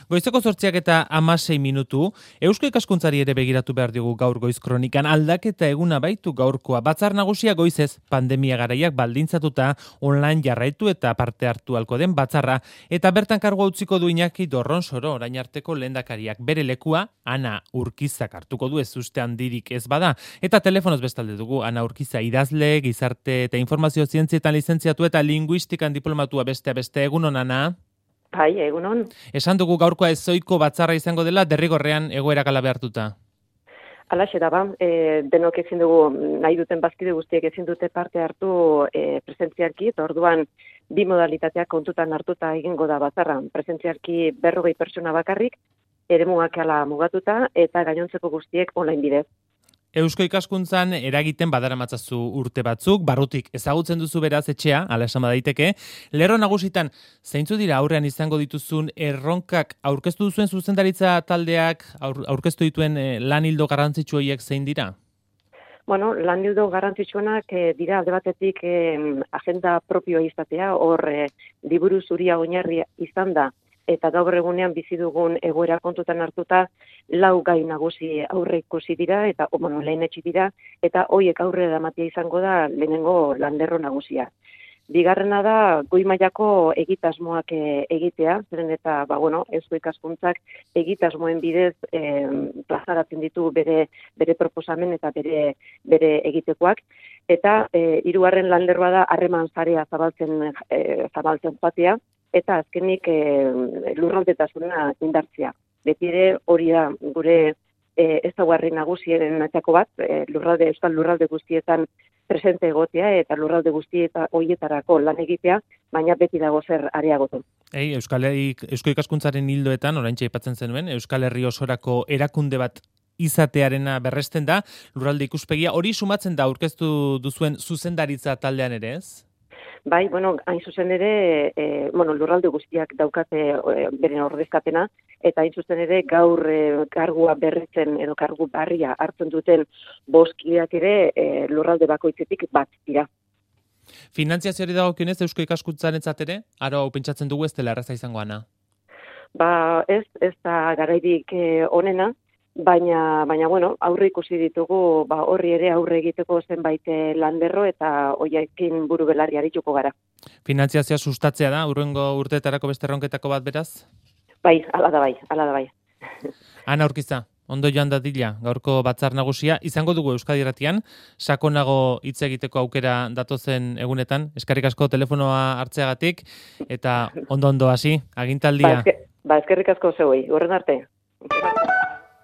Goizeko 8:16. Eusko ikaskuntzari ere begiratu behar dugu gaur goiz kronikan. Aldaketa eguna baitu gaurkoa. Batzar nagusia goizez pandemia garaiak baldintzatuta online jarraitu eta parte hartu halko den batzarra. Eta bertan kargua utziko du Iñaki Dorronsoro, orain arteko lehendakariak. Bere lekua Ana Urkizak hartuko du, ez uste handirik ez bada. Eta telefonoz bestalde dugu Ana Urkiza idazle, gizarte eta informazio zientzietan lizentziatu eta linguistikan diplomatua beste egunon, Ana. Bai, egunon. Esan dugu gaurkoa ezoiko batzarra izango dela derrigorrean egoera kala behartuta. Alaxe da ba, denok ezin dugu, nahi duten bazkide guztiek ezin dute parte hartu presentzialki, eta orduan bi modalitateak kontutan hartuta egingo da batzarra. Presentzialki 40 pertsona bakarrik, eremuak ala mugatuta, eta gainontzeko guztiek online bidez. Eusko ikaskuntzan eragiten badaramatzazu urte batzuk, barrutik ezagutzen duzu beraz etxea, ala esan badaiteke. Lerro nagusitan, zeintzu dira aurrean izango dituzun erronkak aurkeztu duzuen zuzendaritza taldeak, aurkeztu dituen lan hildo garrantzitsu horiek zein dira? Bueno, lan hildo garrantzitsuenak dira alde batetik agenda propioa izatea, hor liburu zuria oinarri izan da, eta gaur egunean bizi dugun egoera kontutan hartuta 4 gai nagusi aurre ikusi dira eta lehenetsi dira eta hoiek aurrera eramatea izango da lehenengo landerro nagusia. Bigarrena da goi mailako egitasmoak egitea, zeren eta Eusko ikaskuntzak egitasmoen bidez plazaratzen ditu bere proposamen eta bere egitekoak. Eta hirugarren lanlerroa da harreman sarea zabaltzen joatea. Eta azkenik lurraldetasuna indartzea. Beti ere hori da gure ezaugarri nagusienetako bat, euskal lurralde guztietan presente egotea eta lurralde guztieta horietarako lan egitea, baina beti dago zer areagotu. Eusko ikaskuntzaren hildoetan, oraintxe aipatzen zenuen, Euskal Herri osorako erakunde bat izatearena berresten da, lurralde ikuspegia, hori sumatzen da aurkeztu duzuen zuzendaritza taldean ere, ez? Bai, hain zuzen ere, lurralde guztiak daukate beren ordezkapena, eta hain zuzen ere gaur kargua berritzen edo kargu barria hartzen duten 5 kideak ere lurralde bakoitzetik bat dira. Finantziazioari dagokionez Eusko ikaskuntzarentzat ere, aro pentsatzen dugu ez dela erraza izango, Ana? Ez da garairik onena, baina aurre ikusi ditugu horri ere aurre egiteko zenbait landerro eta hoiekin buru belarri arituko gara. Finantziazioa sustatzea da, hurrengo urteetarako beste erronketako bat beraz? Bai, hala da bai. Ana Urkiza, ondo joan dadila, gaurko batzar nagusia, izango dugu Euskadi Irratian, sakonago hitz egiteko aukera datozen egunetan, eskerrik asko telefonoa hartzeagatik, eta ondo hasi, agintaldia. Eskerrik asko zeuei, horren arte.